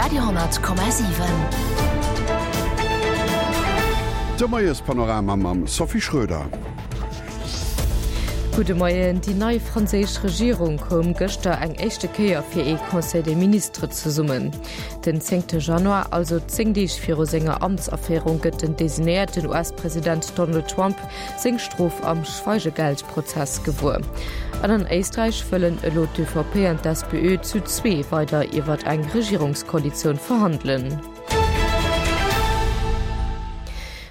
Radio,7. De Moiespanorama mam Sophie Schröder. Gudde Moien. Déi nei franséisch Regierung koum gëschter eng éischte Kéier fir ee Conseil des ministres zesummen. Den zéngte Januar, also 10 Deeg viru senger Amtsaféierung, gëtt den designéierten US-President Donald Trump seng Strof am Schweigegeldprozess gewuer. An an Éisträich wëllen elo d'ÖVP an d'SPÖ zu zwee weider iwwer eng Regierungskoalitioun verhandelen.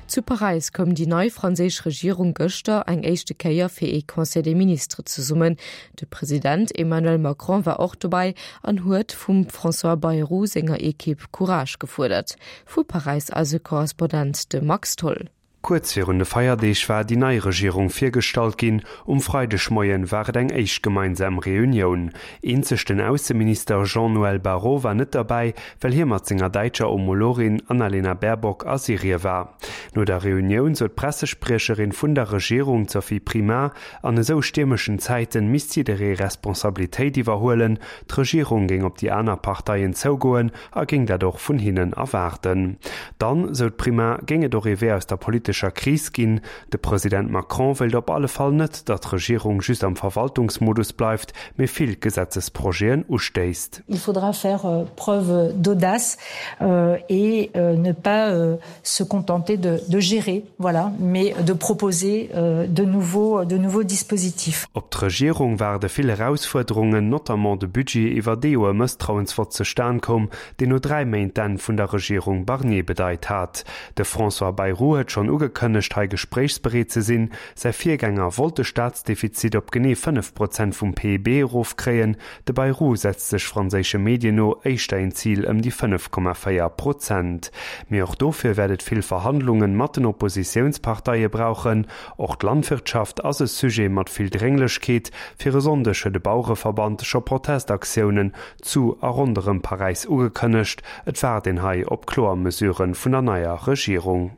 Zu Paräis koum déi nei franséisch Regierung gëschter eng éischte Kéier fir ee Conseil des ministres zesummen. De President Emmanuel Macron war och dobäi an huet vum François Bayrou senger Ekipp Courage gefuerdert. Vu Paräis eise Korrespondent, de Max Tholl. Kuerz virun de Feierdeeg war déi nei Regierung virgestallt ginn. Um Freidegmoien war et eng éischt gemeinsam Reunioun. Eenzeg den Ausseminister Jean-Noël Barrot war net derbäi, well hie mat senger däitscher Homologin Annalena Baerbock a Syrie war. No der Reunioun sot d'Pressespriecherin vun der Regierung, d'Sophie Primas, an esou stiermeschen Zäiten misst jidderee Responsabilitéit iwwerhuelen. D'Regierung géing op déi aner Parteien zougoen a géing dat och vun hinnen erwaarden. Dann, sou d'Primas, géing et och ee Wee aus der politescher Kris ginn. De President Macron wéilt op alle Fall net, datt d'Regierung just am Verwaltungsmodus bleift, mee vill Gesetzesprojeten ustéisst. Il faudra faire preuve d'audace et ne pas se contenter de, de gérer, voilà, mais de proposer de nouveaux, de nouveaux dispositifs. Op d'Regierung waarde vill Erausfuerderungen, notamment de Budget, iwwer dee jo e Mësstrauensvott zustan koum, deen no 3 Méint d'Enn vun der Regierung Barnier bedeit hat. De François Bayrou huet schonn ugekënnegt, hei gespréichsbereet ze sinn. Säi Virgänger wollt de Staatsdefizit op genee 5 Prozent vum PIB erofkréien. De Bayrou setzt sech franséische Medien no éischter een Zil ëm déi 5,4 Prozent. Mee och dofir wäert et vill Verhandlunge mat den Oppositiounsparteie brauchen. Och d'Landwirtschaft ass e Sujet mat vill Drénglechkeet. Fir e Sonndeg huet e Bauereverband scho Protestaktiounen zu a ronderëm Paräis ugekënnegt. Et waart een hei op kloer Mesurë vun der neier Regierung.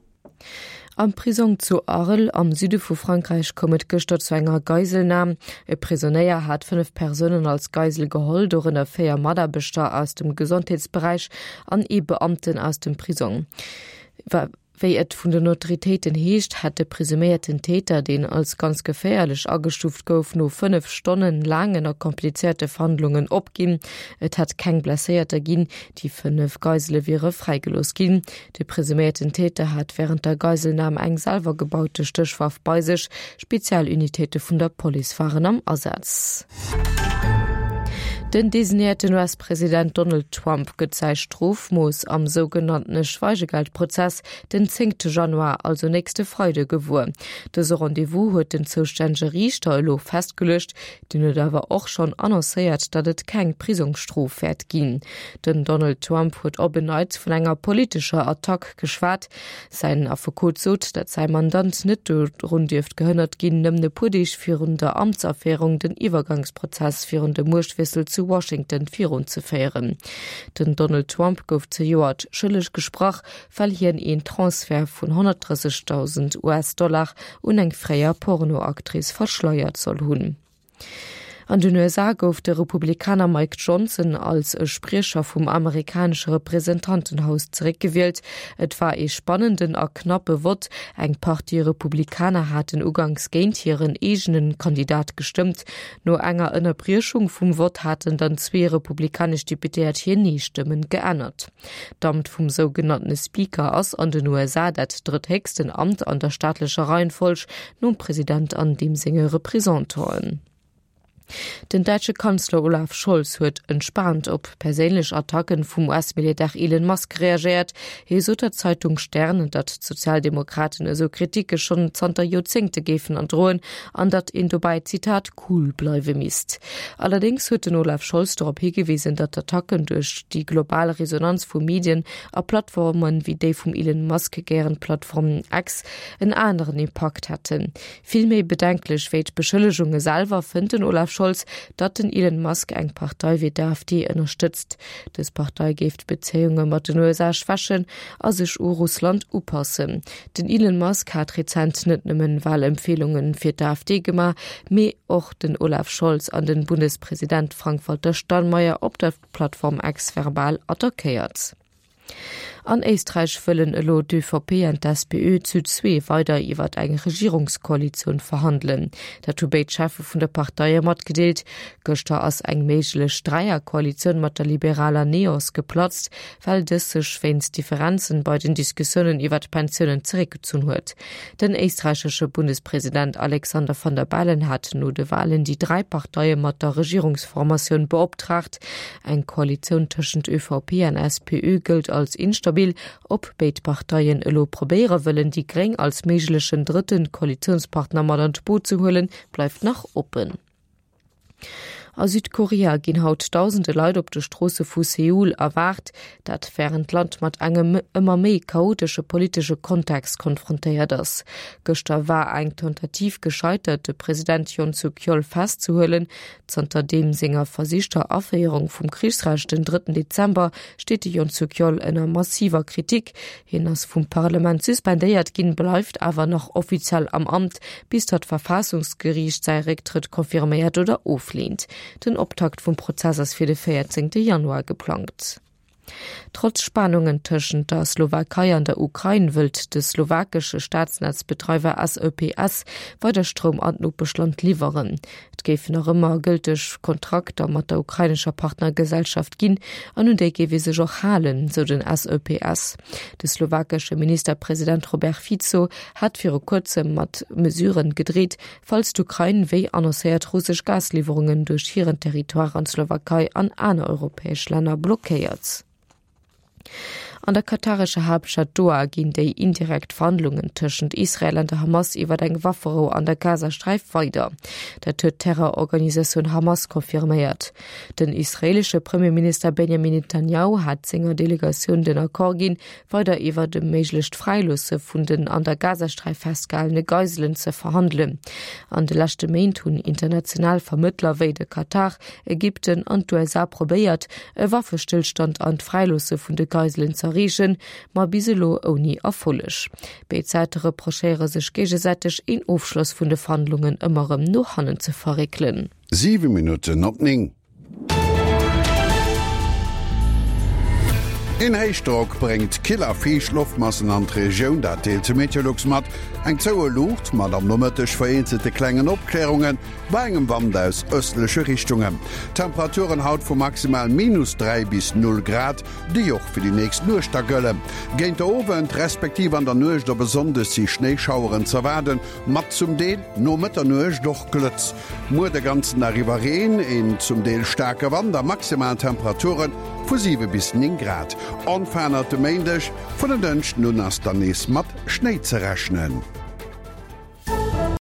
Am Prisong zu Arles am Süde vu Frankräich koum et gëschter zu enger Geiselnam. E Prisonéier hat 5 Persounen als Geisel geholl, dorënner 4 Mataarbechter aus dem Gesondheetsberäich an ee Beamten aus dem Prisong. Wéi et vun den Autoritéiten heescht, hätt de presuméierten Täter, deen als ganz geféierlech agestuuft gouf, no 5 Stonnen laangen a komplizéierte Verhandlungen opginn. Et hätt keng Blesséierter ginn. Déi 5 Geisele wiere fräigelooss ginn. De presuméierten Täter hat wärend der Geiselnam eng selwer gebaute Stéchwaff bei sech. Spezialunitéite vun der Police waren am Asaz. Den designéierten US-President Donald Trump gëtt säi Strofmooss am sougenanntene Schweigegeldprozess den zéngte Januar, also nächste Freide gewuer. Dëse Rendez-vous huet den zoustännege Riichter elo festgeluecht. Deen huet awer och schonn annoncéiert, datt et keng Prisongsstrof wäert ginn. Den Donald Trump huet op en Neits vun enger politescher Attack geschwat. Säin Affekot sot, datt säi Mandant net dorun dierft gehënnert ginn, nëmmen e puer Deeg virun der Amtsaféierung den Iwwergangsprozess virun dem Muechtwiessel zu Washington virunzeféieren. Den Donald Trump gouf zejoert schëlleg gesprach, well hien een Transfert vun 130.000 US-Dollar un eng fréier Pornoactrice verschleiert soll hunn. An den USA gouf de Republikaner Mike Johnson als e Spriecher vum amerikanesche Representantenhaus zeréckgewielt. Et war ee spannenden a knappe Vott. Eng Partie Republikaner haten uganks géint hiren eegene Kandidat gestëmmt. No enger Ënnerbriechung vum Vott haten dann zwee republikanesch Deputéiert hir Nee-Stëmmen geännert. D'Amt vum sougenanntene Speaker ass an den USA dat drëtthéchsten Amt an der staatlecher Reihenfolg, nom President an deem senge Representanten. Den däitsche Kanzler Olaf Scholz huet entspaant op perséinlech Attacken vum US-Milliardär Elon Musk reagéiert. Hie sot der Zeitung Stern, datt d'Sozialdemokraten esou Kriticke schonn zanter Joerzéngte géifen erdroen an datt een dobäi, Zitat, cool bleiwe misst. Allerdéngs huet den Olaf Scholz dorop higewisen, datt d'Attacken duerch déi global Resonanz vu Medien a Plattforme wéi déi vum Elon Musk gären Plattform X en aneren Impakt hätten. Vill méi bedenklech wéi d'Beschëllegunge selwer fënnt den Olaf. Scholz, datt den Elon Musk eng Partei wéi d'AfD ënnerstëtzt. Dës Partei géif d'Bezéiunge mat den USA schwächen a sech u Russland upassen. Den Elon Musk hat rezent net nëmmen Walempfeelunge fir d'AfD gemaach, mee och den Olaf Scholz an den Bundespresident Frank-Walter Steinmeier op der Plattform X verbal attackéiert. An Éisträich wëllen elo d'ÖVP an d'SPÖ zu zwee weider iwwer eng Regierungskoalitioun verhandelen. Dat hu béid Cheffe vun der Parteie matgedeelt. Gëschter ass eng méiglech Dräierkoalitioun mat der liberaler Neos geplatzt, well dës sech wéinst Differenzen bei den Diskussiounen iwwer d'Pensiounen zeréckgezunn huet. Den éisträichesche Bundespresident Alexander Van der Bellen hat no de Walen déi dräi Parteie mat der Regierungsformatioun beoptraagt. Eng Koalitioun tëschent ÖVP an SPÖ gëllt als instabil. Ob béid Parteien elo probéiere wëllen, déi Gréng als méiglechen drëtte Koalitiounspartner mat an d'Boot ze huelen, bleift nach oppen. A Südkorea ginn haut dausende Leit op de Stroosse vu Seoul erwaart. Dat wärend d'Land mat engem ëmmer méi chaotesche politesche Kontext konfrontéiert ass. Gëschter war eng Tentative gescheitert, de President Yoon Suk-yeol festzehuelen. Zanter deem senger versichter Aféierung vum Krichsrecht den drëtten Dezember steet de Yoon Suk Yeol ënner massiver Kritik. Hien ass vum Parlement suspendéiert ginn, bleift awer nach offiziell am Amt, bis datt d'Verfaassungsgeriicht säi Récktrëtt confirméiert oder ofleent. Den Optakt vum Prozess ass fir de 14 Januar geplangt. Trotz Spanungen tëschent der Slowakei an der Ukrain wëllt de slowakesche Staatsnetzbedreiwer SEPS weider Stroum an d'Nopeschland liwweren. Et géifen nach ëmmer gëlteg Kontrakter mat der ukrainescher Partnergesellschaft ginn an un déi géif ee sech och halen, sou den SEPS. De slowakesche Ministerpresident Robert Fico hat viru kuerzem mat Mesuren gedreet, falls d'Ukrain wéi annoncéiert russesch Gasliwwerungen duerch hiren Territoire an d'Slowakei an aner europäesch Länner blockéiert. An der katarescher Haaptstad Doha ginn déi indirekt Verhandlungen tëschent Israel an der Hamas iwwer eng Wafferou an der Gazasträif weider. Dat huet d'Terrororganisatioun Hamas confirméiert. Den israeelesche Premierminister Benjamin Netanjahu hat senger Delegatioun den Accord ginn, weider iwwert e méiglecht Fräiloosse vun den an der Gazasträif festgehalene Geiselen ze verhandelen. An de leschte Méint hunn international Vermëttler wéi de Katar, Ägypten an d'USA probéiert, e Waffestëllstand an d'Fräiloosse vun de Geiselen z'erreechen, ma bis elo ouni Erfolleg. Béid Säite reprochéiere sech géigesäiteg, een Ofschloss vun de Verhandlungen ëmmer erëm no hannen ze verréckelen. 7 Minutten op 9. Een Héichdrock bréngt kill a fiicht Loftmassen an d'Regioun, dat deelt de Meteolux mat. Eng zoue Luucht mat am Nomëtteg vereenzelte klengen Opklärunge bei engem Wand aus ëstleche Richtungen. Temperaturen haut vu maximal minus 3 bis 0 Grad, déi och fir déi nächst Nuecht da gëllen. Géint de Owend respektiv an der Nuecht op e Sonndeg si Schnéischaueren z'erwaarden, mat zum Deel no Mëtternuecht och Glëtz. Muer de ganzen Dag iwwer Reen, een zum Deel staarke Wand a maximal Temperature vu 7 bis 9 Grad. Onverännert de Méindeg, vun en Dënschden un ass dann nees mat Schnéi ze rechnen.